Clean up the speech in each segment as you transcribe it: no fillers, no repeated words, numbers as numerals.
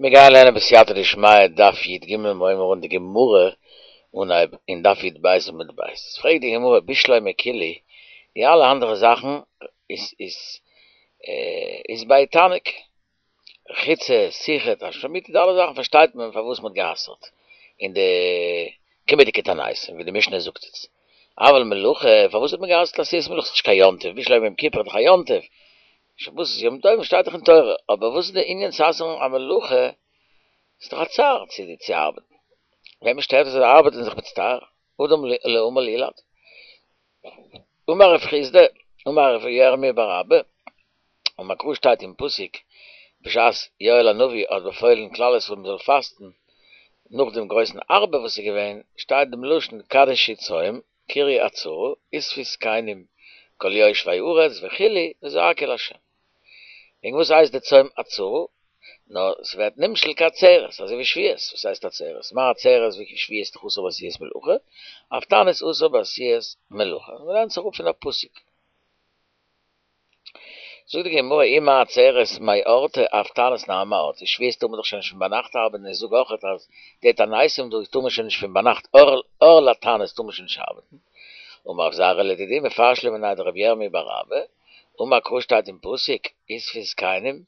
מיר גייען לערנען בסייעתא דשמיא דף י"ג מ'הויבן אן די גמרא אנהייב אין דף י"ב עמוד ב'. פרעגט די גמרא בשלמא כולהו, די אלע אנדערע זאכן איז איז איז בהאי תענוג, רחיצה, סיכה, תשמיש המיטה, די אלע זאכן פארשטייט מען פארוואס מ'האט גע'אסר'ט אין די קומעדיגע תעניתים ווי די משנה זאגט עס. אבל מלאכה, פארוואס האט מען גע'אסר'ט עשיית מלאכה? ס'איז נישט קיין יום טוב, בשלמא יום כיפור איז דאך א יום טוב, שבת איז יום טוב שטייט דאך אין תורה, אבער וואס איז די ענין צו אסר'ן א מלאכה, ס'איז דאך א צער צו צו ארבעטן, וועמען שטערט עס אז זיי ארבעטן זיך מצטער, אדם לעמל יולד. אמר רב חסדא, אמר רב ירמי' בר אבא, אמר קרא שטייט אין פסוק, בשעת יואל הנביא האט באפוילן כלל ישראל מ'זאל פאסטן נאך דעם גרויסן ארבה וואס איז געווען, שטייט דעם לשון קדשו צום, קראו עצרה, אספו זקנים כל יושבי הארץ וכו' וזעקו אל ה'. וועגן וואס הייסט די צום עצרה? נאר ס'ווערט נמשל כעצרת, אזוי ווי שבועות, וואס הייסט עצרת? מה עצרת ווי שבועות איז דאך אסור בעשיית מלאכה, אף תענית אסור בעשיית מלאכה. מ'לערנט זיך אפ פון א פסוק. זאגט די גמרא אי מה עצרת מאורתא אף תענית נמי מאורתא, שבועות טאר מען דאך שוין נישט פון ביינאכט ארבעטן, איך זאג אויכעט אז די תעניתים דא טאר מען שוין נישט פון ביינאכט אור לתענית טאר מען שוין נישט ארבעטן, אמר רב זירא לדידי מפרש לי מיניה דרבי ירמי' בר אבא, אמר קרא שטייט אין פסוק אספו זקנים,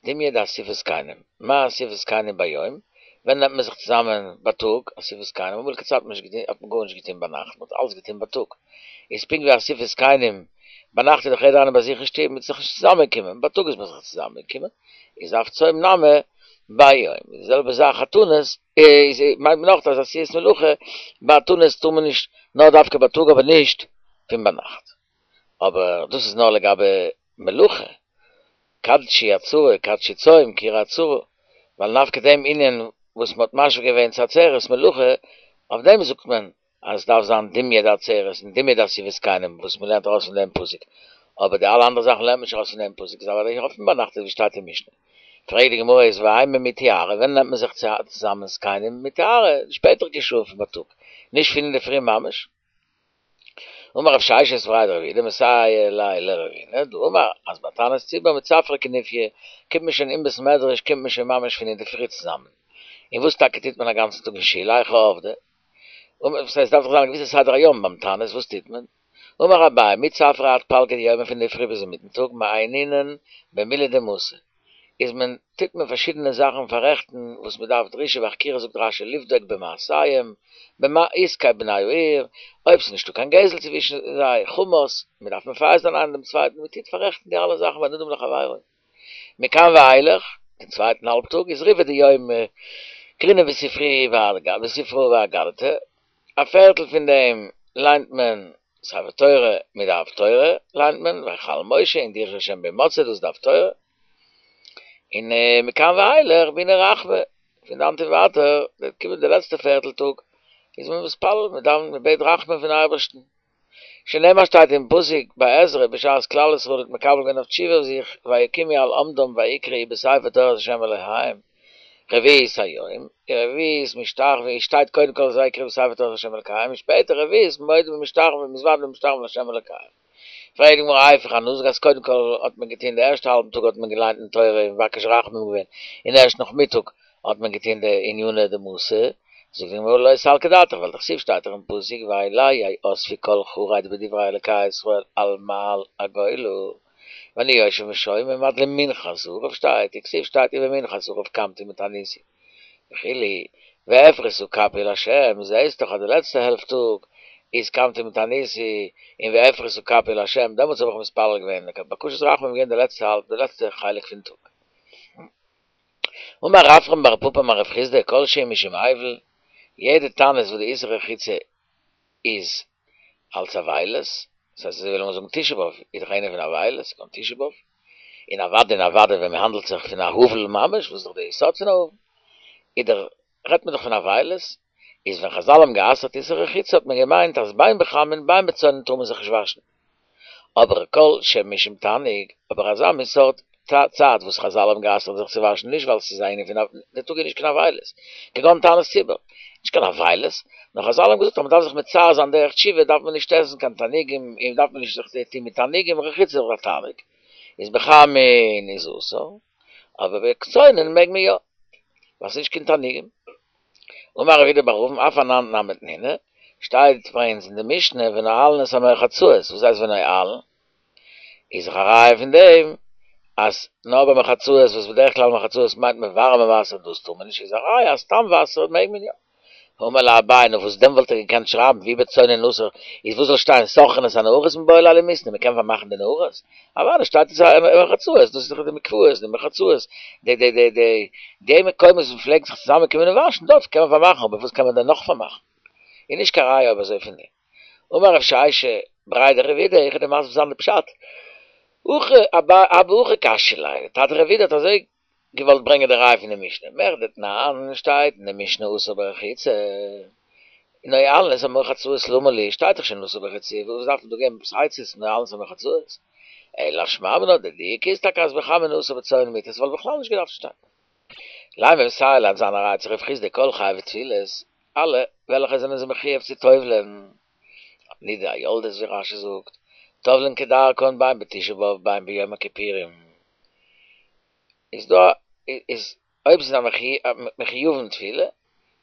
דומיא דאסיפת זקנים, מה אסיפת זקנים ביום, ווען נעמט מען זיך צוזאמען בייטאג, אסיפת זקנים, אמאליגע צייט האט מען נישט געטון, האט מען גארנישט געטון ביינאכט, מען האט אלעס געטון בייטאג, איז פונקט ווי אסיפת זקנים, ביינאכט איז דאך יעדער איינער ביי זיך אין שטוב, מען איז זיך נישט צוזאמען קומען, בייטאג איז מען זיך צוזאמען געקומען, איז אף צום נמי ביום, די זעלבע זאך א תענית, איז מיינט מען אויך אז עשיית מלאכה, ביי א תענית טאר מען נישט, נאר דווקא בייטאג אבער נישט פון ביינאכט. אבער דאס איז נאר לגבי מלאכה, קדשו עצרה, קדשו צום, קראו עצרה, ווייל דווקא דעם ענין וואס מ'האט משווה געווען צו עצרת מלאכה, אויף דעם זאגט מען אז עס דארף זיין דומיא דעצרת און דומיא דאסיפת זקנים וואס מ'לערנט ארויס פון דעם פסוק, אבער די אלע אנדערע זאכן לערנט מען נישט ארויס פון דעם פסוק, איז אוודאי אויך פון ביינאכט אזוי ווי שטייט אין משנה. פרעגט די גמרא איז ואימא מטהרי, ווען נעמט מען זיך צוזאמען זקנים מטהרי, די שפעטערדיגע שעה פון בייטאג, נישט פון אינדערפרי ממש. אמר רב ששת בריה דרב אידי מסייע ליה לרבינא, דאמר אז ביי תענית ציבור מצפרא כנופיא קומט מען שוין אין בית מדרש קומט מען שוין ממש פון אינדערפרי צוזאמען, און וואס טאקע טוט מען א גאנצן טאג אין שול היכי עבדי? וואס הייסט דארף דאך זיין א געוויסע סדר היום ביים תענית וואס טוט מען? אמר אביי מצפרא עד פלגא דיומא פון אינדערפרי ביז אינמיטן טאג מעיינינן במילי דמתא, איז מען טוט מען פארשידענע זאכן פאררעכטן וואס מען דארף דרישה וחקירה זאגט רש"י לבדוק במעשיהם במה עסקי בני העיר אויב ס'איז נישטא קיין גזל צווישן זיי חמס מען דארף מפייס זיין איינער דעם צווייטן מען טוט פאררעכטן די אלע זאכן בין אדם לחבירו מכאן ואילך דעם צווייטן האלב טאג איז ריבעא דיומא קרינן בספרא ואגדתא א פערטל פון דעם ליינט מען ספר תורה מיט די הפטורה ליינט מען ויחל משה און דרשו ה' בהמצאו דאס איז די הפטורה, און מכאן ואילך בעינן רחמי, פון דאנט און ווייטער וועט קומען די לעצטע פערטל טאג איז מען מתפלל מען דאווענט מען בעט רחמים פון אייבערשטן, שנאמר שטייט אין פסוק ביי עזרא בשעת כלל ישראל האט מקבל געווען אויף תשובה אויף זיך ויקומו על עמדם ויקראו בספר תורת ה' אלהיהם רביעית היום, רביעית משתחווים, שטייט קודם כל ויקראו בספר תורת ה' אלקיהם און שפעטער רביעית מודים ומשתחווים ומתוודין ומשתחווים לה' אלקיהם. פרעגט די גמרא היפוך אנא זאג אז קודם כל האט מען געטון די ערשטע האלבן טאג האט מען געליינט אין תורה און מבקש רחמים געווען און ערשט נאכמיטאג האט מען געטון די עניני דמתא, זאגט די גמרא לא סלקא דעתך ווייל דכתיב שטייט דאך אין פסוק ואלי יאספו כל חרד בדברי אלקי ישראל על מעל הגולה ואני יושב ושומע עד למנחת ערב שטייט וכתיב שטייט ובמנחת ערב קמתי מתעניתי וכו' ואפרשה כפי לה' זעהסט דאך אז די לעצטע העלפט טאג איז קמתי מתעניתי און ואפרשה כפי לה' דעמאלטס האב איך מתפלל געווען בקשת רחמים איז געווען די לעצטע האלב די לעצטע חלק פון טאג. אמר רפרם בר פפא אמר רב חסדא כל שהוא משום אבל, יעדע תענית וואס די איסור רחיצה איז אלץ אבילות, דאס הייסט אזוי ווי לאמיר זאגן תשעה באב איז דאך איינער פון אבילות, כגון תשעה באב, און אוודאי און אוודאי ווען מען האנדלט זיך פון א אבל ממש, וואס איז דאך די יסוד פון א אבל, איז דאך רעדט מען דאך פון אבילות, איז ווען חזל האבן גע'אסר'ט איסור רחיצה האט מען געמיינט אז בין בחמין בין בצונן טאר מען זיך נישט וואשן. אבער כל שמשום תענוג, אבער אזא מין סארט צייט וואס חזל האבן גע'אסר'ט זיך צו וואשן נישט ווייל ס'איז א ענין פון די טאג איז נישט קיין אבילות, כגון תענית ציבור, נישט קיין אבילות, נאר חזל האבן געזאגט אז מ'דארף זיך מצער זיין דרך תשובה דארף מען נישט עסן קיין תענוגים און דארף מען נישט זיך טון מיט תענוגים, רחיצה איז דאך א תענוג, איז בחמין איז אסור, אבער בצונן מעג מען יא. ווייל ס'איז נישט קיין תענוגים. אמר רב אידי בר אבין אף אנן נמי תנינא, שטייט ביי אונז אין די משנה ונועלין את המרחצאות, וואס הייסט ונועלין? איז דאך א ראיה פון דעם אז נאר ביי מרחצאות וואס בדרך כלל מרחצאות מיינט מען ווארעמע וואסער דאס טאר מען נישט איז א ראיה אז סתם וואסער מעג מען יא. אמר ליה אביי נו וואס דען וואלט ער געקענט שרייבן ואי בצונן אסור איז וואס זאל שטיין סוככין את הנהרות מיבעי ליה למיתני מען קען פארמאכן די נהרות אוודאי שטייט עס מרחצאות דאס איז דאך די מקוואות די מרחצאות די די די די די מקומות וואס מען פלעגט זיך צוזאמען קומען און וואשן דארט קען מען פארמאכן אבער וואס קען מען דען נאך פארמאכן איז נישט קיין ראיה אויב אזוי פון דעם. אמר רב שישא בריה דרב אידי, איך וועל דיר מסביר זיין די פשט, הכי אבא הכי קשיא ליה, טאטע רב אידי האט אזוי געוואלט ברענגען די ראיה פון די משנה, מכדי תנן שטייט אין די משנה אסור ברחיצה, נועלין את המרחצאות למה לי, שטייט דאך שוין אסור ברחיצה, וואס דארף מען דא געבן עפעס עצות נועלין את המרחצאות, אלא שמע מינה די דיוק איז טאקע אז בחמין אסור בצונן מותר, ס'וואלט בכלל נישט געדארפט שטיין. לימא מסייע ליה זיין א ראיה צו רב חסדא כל חייבי טבילות, אלע וועלכע זענען זיך מחויב צו טובל'ען, נידה היולדת ווי רשי זאגט, טובל'ען כדרכן בין בתשעה באב בין ביום הכיפורים, איז דא איז אויב ס'איז א מחויבים טבילה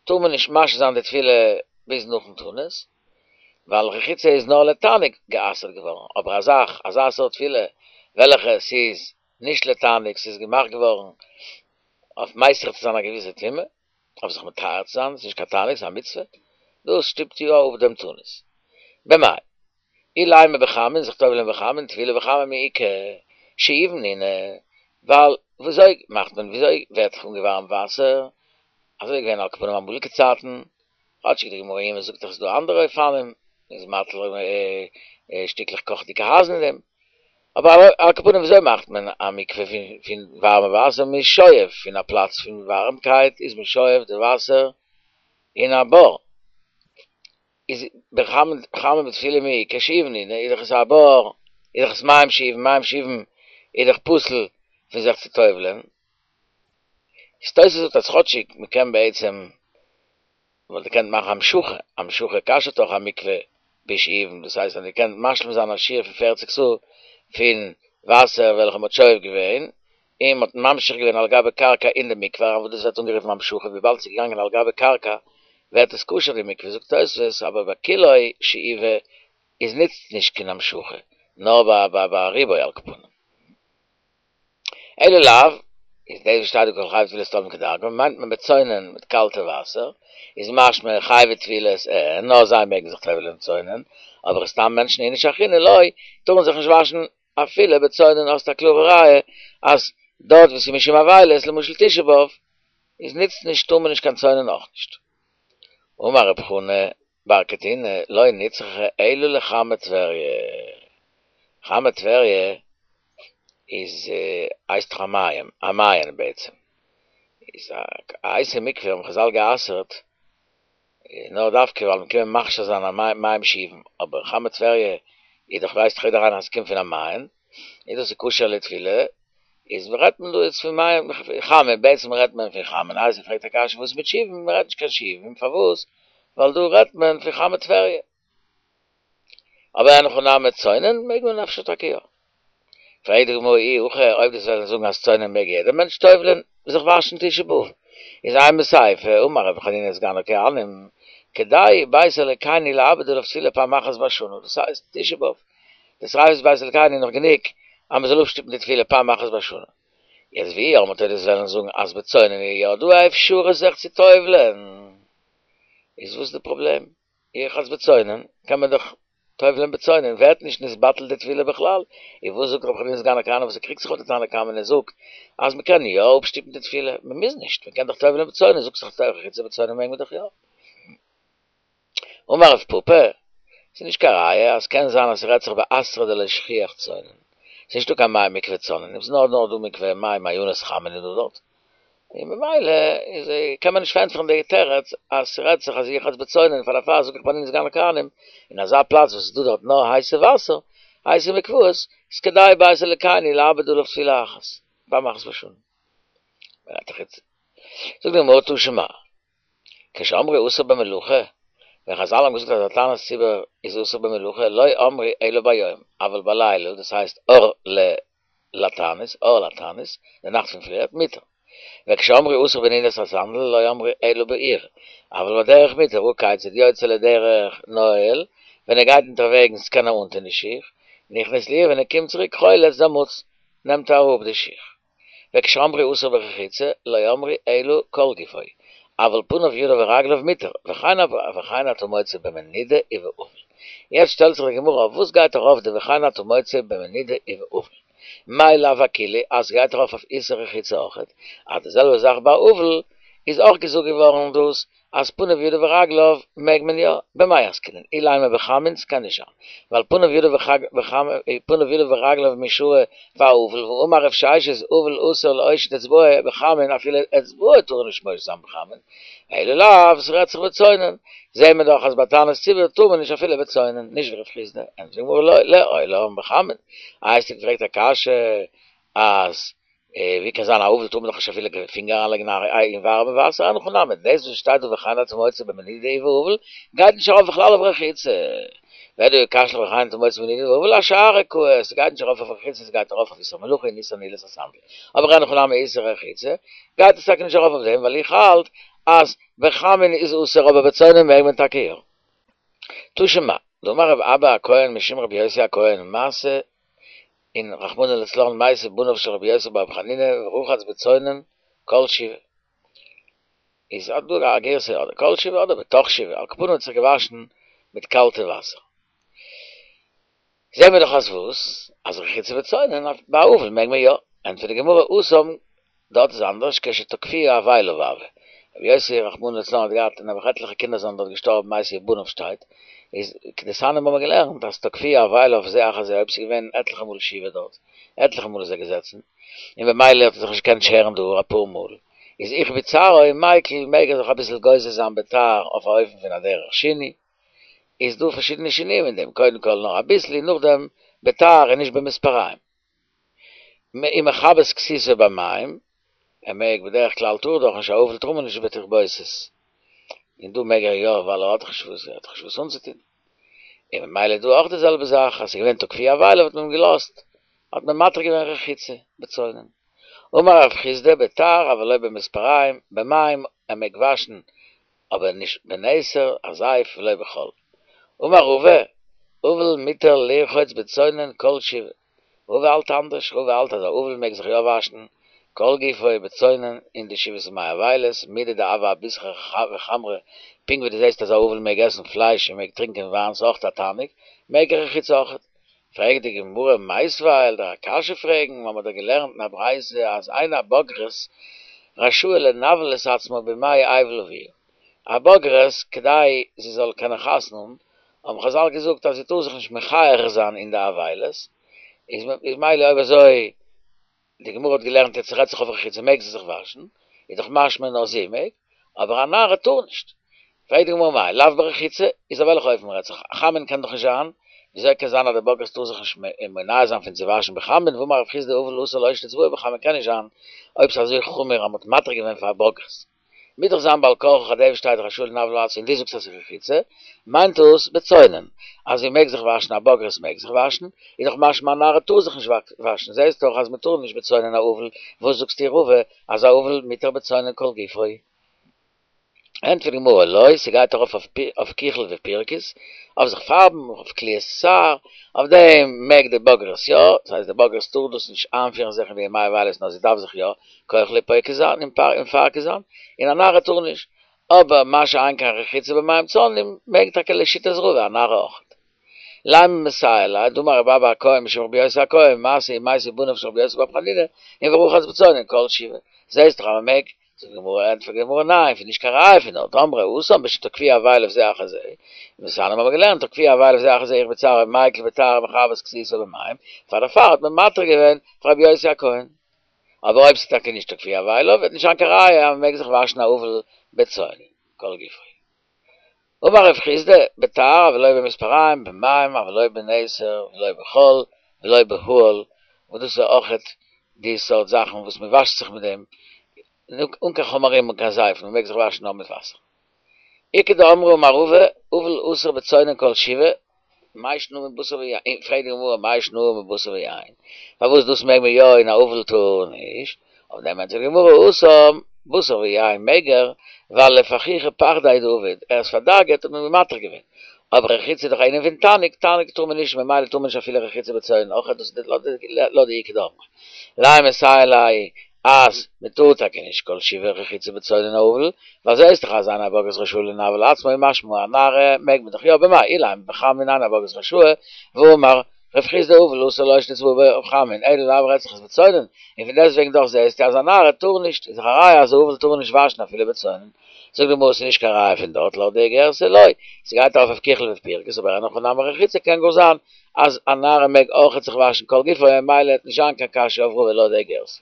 טאר מען נישט משהה זיין די טבילה ביז נאכן תענית, ווייל רחיצה איז נאר לתענוג גע'אסר'ט געווארן, אבער א זאך אזא סארט טבילה וועלכע ס'איז נישט לתענוג ס'איז געמאכט געווארן אויף מסיר צו זיין א געוויסע טומאה, אויף זיך מטהר צו זיין, ס'איז נישט קיין תענוג ס'איז א מצוה, דאס שטופט יא אפ דעם תענית. במאי אילימא בחמין זיך טובל'ען בחמין טבילה בחמין מי איכא שאובין נינהו, ווייל וויאזוי מאכט מען וויאזוי ווערט זיך אנגעווארעמט וואסער, אזוי איז געווען על כל פנים אמאליגע צייטן, כאטשיג די גמרא יומא זאגט דאך ס'איז דא אנדערע אופנים, מ'איז מטיל שטיקלעך קאכעדיגע אייזן אין דעם, אבער על כל פנים וויאזוי מאכט מען א מקווה פון ווארעמע וואסער, מ'איז שואב פון א פלאץ פון ווארעמקייט איז מען שואב די וואסער אין א בור, איז בחמין בחמין בטבילה מי איכא שאובין נינהו איז דאך עס א בור, איז דאך עס מים שאובין, מים שאובין איז דאך פסול פון זיך צו טובל'ען, איז תוס' זאגט אז כאטשיג מ'קען בעצם וואלט געקענט מאכן המשכה, המשכה כשר'ט אויך א מקווה בשאובין, דאס הייסט אז דו קענסט משלים זיין א שיעור פון פערציג סאה פון וואסער וועלכע מ'האט שואב געווען, און מ'האט ממשיך געווען על גבי קרקע אין די מקווה אריין וואס דאס ווערט אנגערופן המשכה, וויבאלד ס'איז געגאנגען על גבי קרקע ווערט עס כשר די מקווה, זאגט תוספות, אבער ביי כולו שאיבה איז נוצט נישט קיין המשכה, נאר ביי ביי רובו על כל פנים. אלא לאו, איז דאס וואס שטייט דא כל חייבי טבילות טובלין כדרכן, מיינט מען בצונן מיט קאלטע וואסער, איז משמע חייבי טבילות אין, נאר זיי מעגן זיך טובל'ען צונן, אבער סתם מענטשן איניש אחרינא לא, טארן זיך נישט וואשן אפילו בצונן האסט א קלארע ראיה אז דארט וואו ס'איז משום אבילות, למשל תשעה באב, איז נוצט נישט טאר מען נישט קיין צונן אויך נישט. אמר רב חנא בר קטינא לא נצרכה אלא לחמי טבריה, חמי טבריה איז הייסט דאך א מעיין, א מעיין בעצם, איז א הייסע מקווה האבן חזל גע'אסר'ט נאר דווקא ווייל מ'קען מכשיר זיין א מים שאובין, אבער חמי טבריה איז דאך ווייסט דאך יעדער איינער אז ס'קומט פון א מעיין, איז דאס איז כשר לטבילה, איז רעדט מען דא איצט פון מים חמין, בעצם רעדט מען פון חמין, איי זי פרעגט א קשיא וואס איז מיט שאובין, מען רעדט נישט קיין שאובין, פארוואס? ווייל דא רעדט מען פון חמי טבריה. אבער אין הכי נמי צונן מעג מען אפשר טאקע יא. פרעגט די גמרא אי הכי אויב דו וועסט זאגן אז צונן מעג יעדער מענטש טובל'ען זיך וואשן תשעה באב, איז אימא סיפא, אמר רבי חנינא סגן הכהנים, כדאי בית אלוקינו לאבד עליו טבילה פעם אחת בשנה, דאס הייסט תשעה באב, די שריפת בית אלקינו איז נאך גענוג אז מען זאל אפשטופן די טבילה פעם אחת בשנה. יעצט ואי אמרת דו וועסט וועלן זאגן אז בצונן איז יא דא א אפשרות זיך צו טובל'ען, איז וואס די פראבלעם? ירחץ בצונן קען מען דאך טובל'ען בצונן, ווערט נישט נתבטל די טבילה בכלל, איז וואס זאגט רבי חנינא סגן הכהנים וואס ער קריגט זיך אויף די תנא קמא און ער זאגט אז מען קען יא אפשטופן די טבילה, מען מוז נישט, מען קען דאך טובל'ען בצונן, זאגסט דאך רחיצה בצונן מעג מען דאך יא. אמר רב פפא, ס'איז נישט קיין ראיה אז קען זיין אז ס'רעדט זיך באתרא דלא שכיח צונן, ס'איז נישטא קיין מי מקווה צונן, ס'איז נאר נאר דא מקווה מי מעיינות חמין איז דא דארט, און ממילא איז קען מען נישט פארענטפערן די תירוץ אז ס'רעדט זיך אז ירחץ בצונן פאר דערפאר זאג איך רבי חנינא סגן הכהנים אין אזא פלאץ וואס איז דא דארט נאר הייסע וואסער, הייסע מקוואות, איז כדאי בית אלוקינו לאבד עליו טבילה אחת, פעם אחת בשנה. זאגט די גמרא תא שמע. כשאמרו אסור במלאכה, ווען חזל האבן געזאגט אז א תענית ציבור איז אסור במלאכה, לא אמרו אלא ביום, אבל בלילה, דאס הייסט אור ל לתענית, אור לתענית, די נאכט פון פריערט, מותר. וכשאמרו אסור בנעילת הסנדל לא אמרו אלא בעיר, אבל בדרך מותר, הא כיצד יוצא לדרך נועל, ווען ער גייט אונטערוועגנס קען ער אנטון די שיך, נכנס לעיר ווען ער קומט צוריק חולץ דעמאלטס נעמט ער אראפ די שיך. וכשאמרו אסור ברחיצה לא אמרו אלא כל גופו, אבל פניו ידיו ורגליו מותר, וכן אתה מוצא במנידה ובאבל. יעצט שטעלט זיך די גמרא אויף וואס גייט ארויף די וכן אתה מוצא במנידה ובאבל? מאי לאו אכולהו אז ס'גייט ארויף אויף איסור רחיצה אויכעט, אז די זעלבע זאך ביי אבל איז אויך געזאגט געווארן דאס אז פניו ידיו ורגליו מעג מען יא, במאי עסקינן, אילימא בחמין ס'קען נישט זיין, ווייל פניו ידיו פניו ידיו ורגליו מי שרי פאר אבל, והאמר רב ששת אבל אסור להושיט אצבעו בחמין אפילו אצבעו טאר ער נישט מושיט זיין בחמין, אלא לאו ס'רעדט זיך בצונן, זעהן מיר דאך אז ביי תענית ציבור טאר מען נישט אפילו בצונן, נישט ווי רב חסדא, ענטפערט די גמרא לא, לעולם בחמין, איי האסטו געפרעגט א קשיא אז ווי קען זיין א אבל טאר מען דאך נישט אפילו קיין פינגער אריינלייגן אין ווארעמע וואסער, אין הכי נמי, דאס וואס שטייט דא וכן אתה מוצא במנידה ובאבל גייט נישט ארויף בכלל אויף רחיצה, ודאי קשיא לך וכן אתה מוצא במנידה ובאבל אשארא קאי, ס'גייט נישט ארויף אויף רחיצה ס'גייט ארויף אויף איסור מלאכה און איסור נעילת הסנדל, אבער אין הכי נמי איסור רחיצה גייט עס טאקע נישט ארויף אויף דעם ווייל איך האלט אז בחמין איז אסור אבער בצונן מעג מען טאקע יא. תא שמע, דאמר רב אבא הכהן משום רבי יוסי הכהן מעשה אין רחמנא לצלן מתו בניו של רבי יוסי בר חנינא ורחץ בצונן כל שבעה. איז אט דא א גירסא אדער כל שבעה אדער בתוך שבעה, על כל פנים האט זיך געוואשן מיט קאלטע וואסער. זעהן מיר דאך אז וואס? אז רחיצה בצונן אויף ביי אבל מעג מען יא. ענטפערט די גמרא התם דארט איז אנדערש כשתקפוהו אבליו הוה. רבי יוסי רחמנא לצלן האט געהאט נעבעך עטליכע קינדער זענען דארט געשטארבן מתו בניו שטייט, איז כדתניא האבן מיר געלערנט אז תקפוהו אבליו זה אחר זה אויב ס'איז געווען עטליכע מאל שבעה דארט, עטליכע מאל איז ער געזעצן, און במילא האט ער זיך נישט געקענט שערן די האר אפאר מאל, איז איך בצערו מיקל מעג ער זיך אביסל גוזר זיין בתער אויף א אופן פון א דרך שינוי, איז דא פארשידענע שינויים אין דעם, קודם כל נאר אביסל און נאכדעם בתער און נישט במספריים. ומכבס כסותו במים, ער מעג בדרך כלל טאר דאך נישט א אבל טאר מען נישט בתכבוסת, און דא מעג ער יא ווייל ער האט דאך נישט וואס ער האט דאך נישט וואס אנצוטון, און ממילא דא אויך די זעלבע זאך אז ס'איז געווען תקפוהו אבליו האט מען אים געלאזט האט מען מתיר געווען רחיצה בצונן. אמר רב חסדא בתער אבל לא במספריים, במים ער מעג וואשן אבער נישט בנתר א זייף ולא בחול. אמר רבא, אבל מותר לרחוץ בצונן כל שבעה. רבא האלט אנדערש, רבא האלט אז א אבל מעג זיך יא וואשן כל גופו בצונן אין די שבעת ימי אבילות, מידי דהוה אביסרא וחמרא, פונקט ווי דו זעסט אז א אבל מעג עסן פלייש און מעג טרינקען וויין ס'אויך א תענוג, מעג ער רחיצה אויכעט. פרעגט די גמרא מיתיבי וועל דיר א קשיא פרעגן, מיר האבן דאך געלערנט אין א ברייתא אז אין הבוגרת רשאה לנוול את עצמה בימי אבל אביה, א בוגרת כדי זי זאל קענען חתונה האבן, האבן חזל געזאגט אז זי טאר זיך נישט מכער זיין אין די אבילות, איז מילא אויב אזוי די גמרא האט געלערנט יעצט רעדט זיך אויף רחיצה מעג זי זיך וואשן, איז דאך משמע נאר זי מעג, אבער א נערה טאר נישט. פרעגט די גמרא מאי לאו ברחיצה, איז אויף וועלכע אופן רעדט זיך, חמין קען דאך נישט זיין, וויאזוי קען זיין אז די בוגרת טאר זיך נישט מונע זיין פון צו וואשן בחמין, והאמר רב חסדא אבל אסור להושיט אצבעו בחמין קען נישט זיין, אויב ס'איז אזוי חמור אז מ'האט מתיר געווען פאר א בוגרת. מוז דאך זיין בעל כרחך דעם שטייט רשאה לנוול עצמה און דו זאגסט אז ס'איז רחיצה, מיינט דאס בצונן, אז זי מעג זיך וואשן א בוגרת מעג זיך וואשן, איז דאך משמע א נערה טאר זיך נישט וואשן, זעסט דאך אז מ'טאר נישט בצונן א אבל, וואס זאגסטו רבא אז א אבל מותר בצונן כל גופו? ענטפערט די גמרא לא, ס'גייט ארויף אויף כחול ופירכוס, אויף זיך פארבן, אויף קליית שער, אויף דעם מעג די בוגרת יא, דאס הייסט די בוגרת טאר דאס נישט איינפירן זיך אין די ימי אבילות נאר זי דארף זיך יא כוחלי פוקר זיין און מפרק זיין, און א נערה טאר נישט, אבער מה שאין כן רחיצה במים צוננים מעג טאקע לשיטת רבא א נערה אויכעט. לימא מסייע ליה, דאמר רבי אבא הכהן משום רבי יוסי הכהן, מעשה ומתו בניו של רבי יוסי בר חנינא, און ורחץ בצונן כל שבעה. זעהסט דאך אז מען מעג, זאגט די גמרא, ענטפערט די גמרא ניין, ס'איז נישט קיין ראיה פון דארט, אמרי התם בשתקפוהו אבליו זה אחר זה, דתניא האבן מיר געלערנט תקפוהו אבליו זה אחר זה איך בצער מיקל בתער ומכבס כסותו במים, פאר דערפאר האט מען מתיר געווען פאר רבי יוסי הכהן. אבער אויב ס'איז טאקע נישט תקפוהו אבליו וועט נישט זיין קיין ראיה אז מ'מעג זיך וואשן א אבל בצונן כל גופו. אמר רב חסדא, בתער אבל לא במספריים, במים אבל לא בנתר ולא בחול ולא באהל, וואס דאס איז אויכעט די סארט זאכן וואס מ'וואשט זיך מיט דעם, אן קיין חומרים און קיין זייפן, מ'מעג זיך וואשן נאר מיט וואסער. איכא דאמרי אמר רבא, אבל אסור בצונן כל שבעה, מאי שנא מבשר ויין, פרעגט די גמרא מאי שנא מבשר ויין, פארוואס דאס מעג מען יא און א אבל טאר נישט, אויף דעם ענטפערט די גמרא התם בשר ויין מעג ער, ווייל לפחוחי פחדיה דעביד, ער איז פארדאגה'ט האט מען אים מתיר געווען, אבער רחיצה איז דאך א ענין פון תענוג, תענוג טאר מען נישט ממילא טאר מען נישט אפילו רחיצה בצונן אויך, דאס איז לויט די איכא דאמרי. לימא מסייע ליה אז מען טאר טאקע נישט כל שבעה רחיצה בצונן אבל, ווייל זעהסט דאך אז אין הבגרות רשאי לנוול עצמו משמע א נערה מעג מען דאך יא במאי אילימא בחמין אין הבגרות רשאי, והאמר רב חסדא אבל אסור לא שנא צבוע בחמין אלא לעבור אצלך בצונן, און פון דעסטוועגן דאך זעהסטו אז א נערה טאר נישט, איז דאך א ראיה אז אבל טאר מען נישט וואשן אפילו בצונן. זאגט די גמרא ס'איז נישט קיין ראיה פון דארט לויט די גרסה לא, ס'גייט ארויף אויף כיחול ופרכוס אבער אין הכי נמי רחיצה קען גאר זיין אז א נערה מעג אויכעט זיך וואשן כל גופו און ממילא וועט נישט זיין קיין קשיא אויף רבא לויט די גרסה.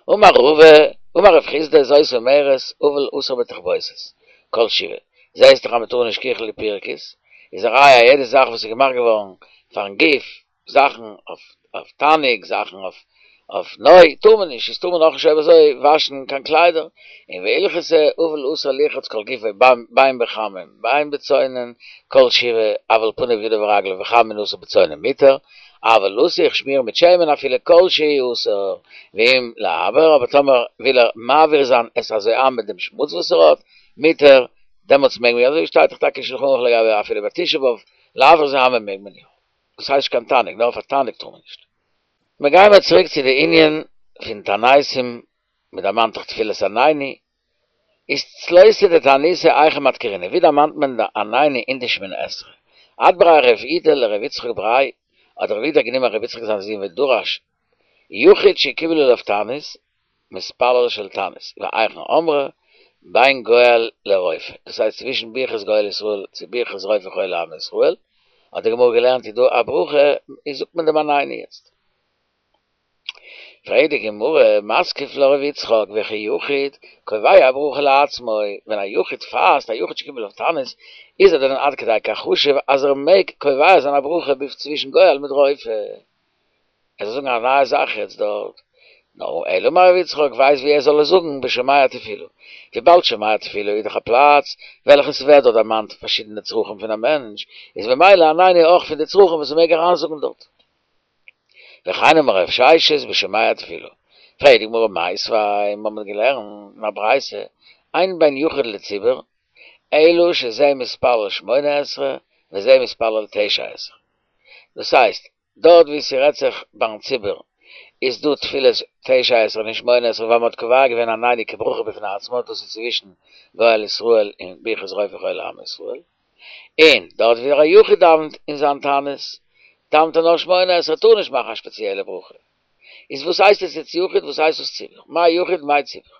אמר רבא, אמר רב חסדא זאת אומרת אבל אסור בתכבוסת כל שבעה, זעהסט דאך אז מ'טאר נישט כיחול ופרכוס, איז א ראיה אז יעדע זאך וואס איז געמאכט געווארן פארן גוף זאכן אויף תענוג, זאכן אויף נוי, טאר מען נישט, איז טאר מען אויך נישט אויב אזוי וואשן קיין קליידער, און והלכתא אבל אסור לרחוץ כל גופו בין בחמין בין בצונן כל שבעה, אבל פניו ידיו ורגליו בחמין אסור בצונן מותר, אבל לסוך שמירן מיט שמן אפילו כל שהוא אסור, ואם לעבר, אבער טאמער וויל ער מעביר זיין את הזוהמא מיט דעם שמוץ וואס ער האט, מותר, דעמאלטס מעג מען, אזוי שטייט דאך טאקע אין שלחן ערוך לגבי אפילו ביי תשעה באב, לעבר זוהמא מעג מען יא. דאס הייסט נישט קיין תענוג, נאר פאר תענוג טאר מען נישט. מיר גייען מיר צוריק צו די ענין פון תעניתים, מען דערמאנט דאך תפילת עננו, איז צלותא דתעניתא היכא מדכרינן, ווי דערמאנט מען די עננו אין די שמונה עשרה? אדבריה רב אידי לר' יצחק בריה, האט רב אידי גענומען ר' יצחק זיין זון ודרש יחיד שקיבל עליו תענית, מתפלל של תענית, והיכן אמרה, בין גואל לרופא, דאס הייסט צווישן ברכת גואל ישראל צו ברכת רופא חולי עמו ישראל, האט די גמרא געלערנט איז דא א ברכה, איז זאגט מען דעם עננו יעצט. פרעגט די גמרא, מתקיף לה ר' יצחק, וכי יחיד, קובע ברכה לעצמו, ווען א יחיד פאסט, א יחיד שקיבל עליו תענית, איז ער דען עד כדי כך חשוב אז ער מעג קובע זיין א ברכה צווישן גואל מיט רופא? ער זאל זאגן א נייע זאך יעצט דארט. נו, אלא אמר ר' יצחק ווייסט ווי ער זאל עס זאגן בשומע תפילה. וויבאלד שומע תפילה איז דאך א פלאץ וועלכע ס'ווערט דארט דערמאנט פארשידענע צרכים פון א מענטש, איז ממילא עננו אויך פון די צרכים וואס מ'מעג אריינזאגן דארט. וכן אמר רב ששת בשומע תפילה. פרעגט די גמרא מיתיבי, מ'האט געלערנט אין א ברייתא, אין בין יחיד לציבור, אלא שזה מתפלל שמונה עשרה וזה מתפלל תשע עשרה. דאס הייסט, דארט ווי ס'רעדט זיך ביים ציבור איז דא תפילת תשע עשרה נישט שמונה עשרה ווייל מ'האט קובע געווען עננו כברכה בפני עצמה דאס איז צווישן גואל ישראל און ברכת רופא חולי עמו ישראל, און דארט ווי דער יחיד דאווענט אין זיין תענית דאווענט ער נאר שמונה עשרה טאר נישט מאכן א שפעציעלע ברכה. איז וואס הייסט עס יעצט יחיד וואס הייסט עס ציבור? מאי יחיד מאי ציבור?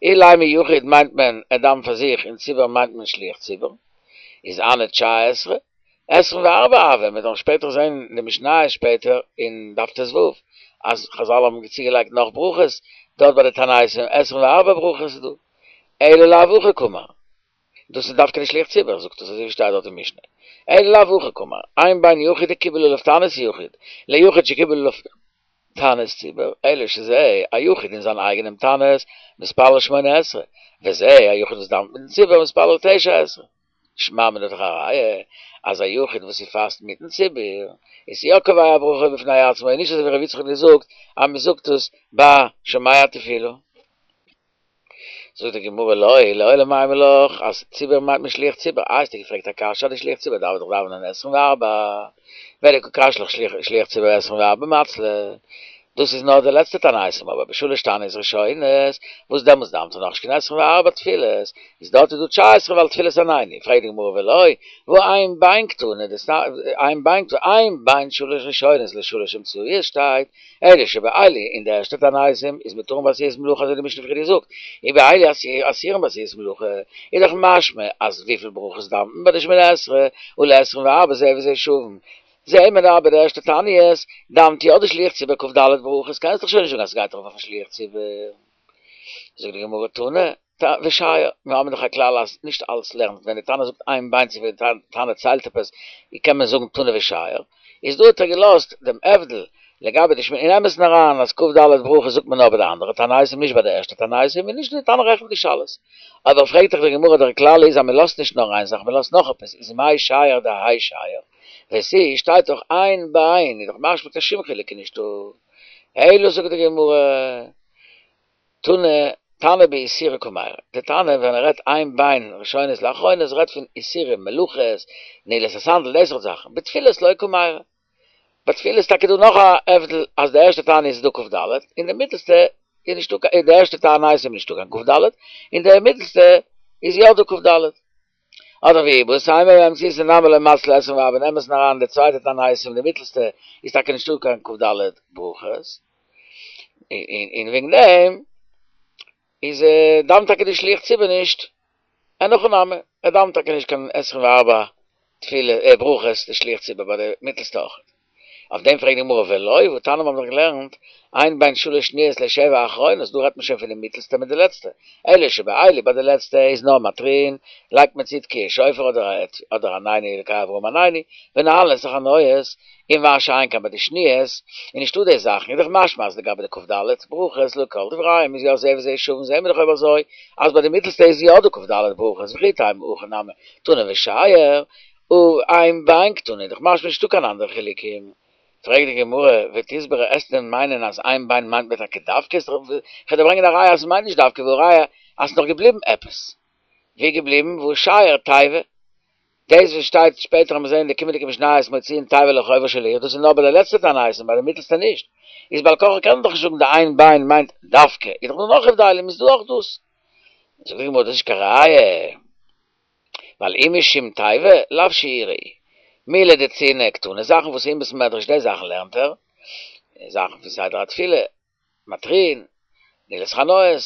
אילימא יחיד מיינט מען ער דאווענט פאר זיך און ציבור מיינט מען שליח ציבור איז הני תשע עשרה עשרים וארבע הוה, מ'וועט נאך שפעטער זען אין די משניות שפעטער אין דף ט"ו אז חזל האבן צוגעלייגט נאך ברכות דארט ביי די תעניתים עשרים וארבע ברכות איז דא אלא לאו הכי קאמר דאס איז דווקא די שליח ציבור זאגט עס אזוי ווי שטייט דארט אין משנה אלא לאו הכי קאמר אין בין יחיד דקיבל עליו תענית יחיד ליחיד שקיבל עליו תענית ציבור, אלא שזה א יחיד אין זיין אייגענעם תענית מתפלל שמונה עשרה, וזה א יחיד וואס דאווענט מיטן ציבור מתפלל תשע עשרה. שמע מינה דאך א ראיה אז א יחיד וואס ס'פאסט מיטן ציבור איז יא קובע ברכה בפני עצמו און נישט אזוי ווי ר' יצחק האט געזאגט אז מ'זאגט עס ביי שומע תפילה. זאגט די גמרא לא, לעולם אימא לך אז ציבור מיינט מען שליח ציבור, איי האסטו געפרעגט א קשיא אז די שליח ציבור דארף דאך דאווענען עשרים וארבע, ודקא קשיא לך שליח ציבור עשרים וארבע מצלי, דאס איז נאר די לעצטע תעניתים אבער בשלש תעניות ראשונות וואס דעמאלטס דאווענט ער נאכנישט קיין עשרים וארבע תפילות, איז דארט איז דא תשע עשרה ווייל תפילת עננו, פרעגט די גמרא ולא, והא אין בין קתני, אין בין קתני, אין בין שלש ראשונות לשלש אמצעיות שטייט, אלא שבאלו אין די ערשטע תעניתים איז מותרין בעשיית מלאכה אזוי די משנה פריער געזאגט, ובאלו אסורין בעשיית מלאכה, איז דאך משמע אז וויפיל ברכות דאווענט מען ביי די שמונה עשרה, הא לעשרים וארבע זה וזה שווין, זעהן מיר אבער די ערשטע תעניות דאווענט יא די שליח ציבור כ"ד ברכות, קענסט דאך שוין נישט זאגן אז ס'גייט ארויף אויפן שליח ציבור. זאגט די גמרא תנא ושייר, מיר האבן דאך א כלל אז נישט אלץ לערנט ווען די תנא זאגט אין בין צו ווען די תנא ציילט עפעס קען מען זאגן תנא ושייר, איז דא האט ער געלאזט דעם הבדל לגבי די שמונה, אין אמת'ן אריין אז כ"ד ברכות זאגט מען נאר ביי די אנדערע תעניתים נישט ביי די ערשטע תעניתים און נישט די תנא רעכנט נישט אלעס. אבער פרעגט דאך די גמרא דער כלל איז אז מען לאזט נישט נאר איין זאך מען לאזט נאך עפעס איז מאי שייר דהאי שייר ותו שטייט דאך אין בין איז דאך משמע קיין שום חילוק איז נישטא. אלא זאגט די גמרא, תנא, תנא באיסורי קמיירי, די תנא ווען ער רעדט אין בין ראשונות לאחרונות רעדט פון איסורים, מלאכות, נעילת הסנדל, די סארט זאכן, בתפילות לא קמיירי. ביי תפילה איז טאקע דא נאך א הבדל אז די ערשטע תענית איז דא כ"ד און די מיטעלסטע איז נישטא קיין די ערשטע תענית איז נישטא קיין כ"ד און די מיטעלסטע איז יא דא כ"ד. אדער ואיבעית אימא באמצעייתא נמי לא מצלי עשרים וארבע אין אמת'ן אריין די צווייטע תענית און די מיטעלסטע איז טאקע נישטא קיין כ"ד ברכות און וועגן דעם איז דאווענט טאקע די שליח ציבור נישט אין הכי נמי, ער דאווענט טאקע נישט קיין עשרים וארבע תפילה ברכות די שליח ציבור ביי די מיטלסטע אויכעט. אויף דעם פרעגט די גמרא ולא, והתניא מיר האבן דאך געלערנט אין בין שלש שניות לשבע אחרונות, דא רעדט מען שוין פון די מיטלסטע מיט די לעצטע, אלא שבאלו ביי די לעצטע איז נאר מתריעין, לייגט מען צו תקיעת שופר אדער עננו אלקי אברהם עננו, ונועלין את החנויות, און מה שאין כן ביי די שניות, איז נישטא די זאכן, איז דאך משמע אז לגבי די כ"ד ברכות לכל דבריהם איז יא זה וזה שווין, זעהן מיר דאך אויב אזוי אז ביי די מיטלסטע איז יא דא כ"ד ברכות וכי תימא הכא נמי תנא ושייר אין בין קתני איז דאך משמע נישטא קיין אנדערע חילוקים. פרעגט די גמרא, ותסברא וועסט דען מיינען אז אין בין מיינט מען טאקע דווקא, כ'וועל דיר ברענגען א ראיה אז ס'מיינט נישט דווקא והא ראיה אז ס'נאך געבליבן עפעס. ווי געבליבן? והא שייר תיבה. דאס וואס שטייט שפעטער אז מיר זעהן אין די קומענדיגע משניות מוציאין תיבה לרחובה של עיר, דאס איז נאר ביי די לעצטע תענית און ביי די מיטעלסטע נישט, איז בעל כרחך קען מען דאך נישט זאגן די אין בין מיינט דווקא, איז דאך דא נאך הבדלים איז דא אויך דאס. זאגט די גמרא דאס איז נישט קיין ראיה, ווייל אי משום תיבה לאו שיורא הוא, מילי דצנעא קתני זאכן וואס אין בית מדרש די זאכן לערנט ער, זאכן פון סדר התפילה, מתריעין, נעילת חנויות,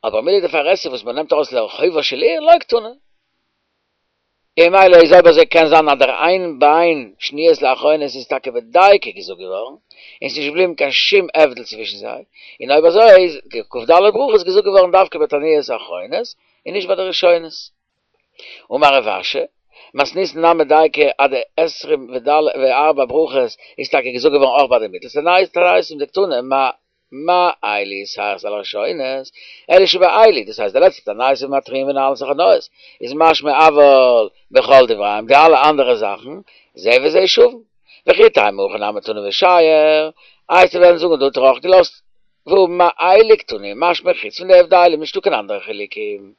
אבער מילי דפרהסיא וואס מען נעמט ארויס לרחובה של עיר לא קתני. און ממילא איז אויב אזוי קען זיין אז דער אין בין שניות לאחרונות איז טאקע בדייקא געזאגט געווארן, און ס'נישט געבליבן קיין שום הבדל צווישן זיי, און אויב אזוי איז די כ"ד ברכות געזאגט געווארן דווקא ביי תעניות אחרונות און נישט ביי די ראשונות. אמר רב אשי, מתניתין נמי דייקא אז די עשרים וארבע ברכות איז טאקע געזאגט געווארן אויך ביי די מיטלסטע תעניתים דקתני מה מה אלו יתירות על הראשונות, אלא שבאלו, דאס הייסט די לעצטע תעניתים מתריעין ונועלין את החנויות, איז משמע אבל בכל דבריהם די אלע אנדערע זאכן, זה וזה שווין. וכי תימא הכא נמי תנא ושייר, איי וועסט וועלן זאגן דא האט ער אויך געלאזט, והא מה אלו קתני, משמע חוץ פון די הבדלים נישטא קיין אנדערע חילוקים.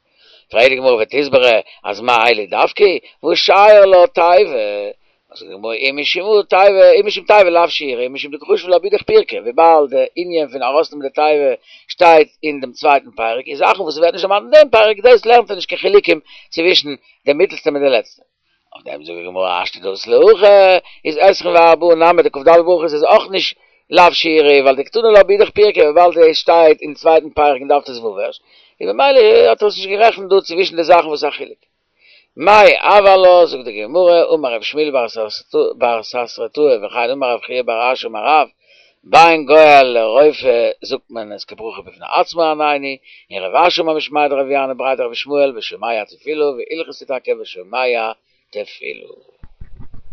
פרעגט די גמרא ותסברא אז מה אלו דווקא, והא שייר לה תיבה, זאגט די גמרא אי משום תיבה, אי משום תיבה לאו שיורא, אי משום דקא חשיב לה באידך פירקא, וויבאלד די ענין פון ארויסנעמען די תיבה שטייט אין דעם צווייטן פרק, איז זאכן וואס ווערט נישט דערמאנט אין דעם פרק, דאס לערנט ער נישט קיין חילוקים צווישן די מיטלסטע מיט די לעצטע. אויף דעם זאגט די גמרא השתא דאית להכי, איז עשרים וארבעה נמי די כ"ד ברכות איז אויך נישט לאו שיורא, ווייל דקתני לה באידך פירקא, וויבאלד דאס שטייט אין צווייטן פרק אין דף ט"ו ערשט, און ממילא האט ער עס נישט גערעכנט דא צווישן די זאכן וואס איז א חילוק. מאי הוי עלה, זאגט די גמרא, אמר רב שמואל בר ססרטאי וכן אמר רב חייא בר אשי אמר רב, בין גואל לרופא זאגט מען עס כברכה בפני עצמה עננו, און רב אשי אמר משמיה דרבי ינאי בריה דרבי ישמעאל ושומע תפילה והלכתא טאקע ושומע תפילה.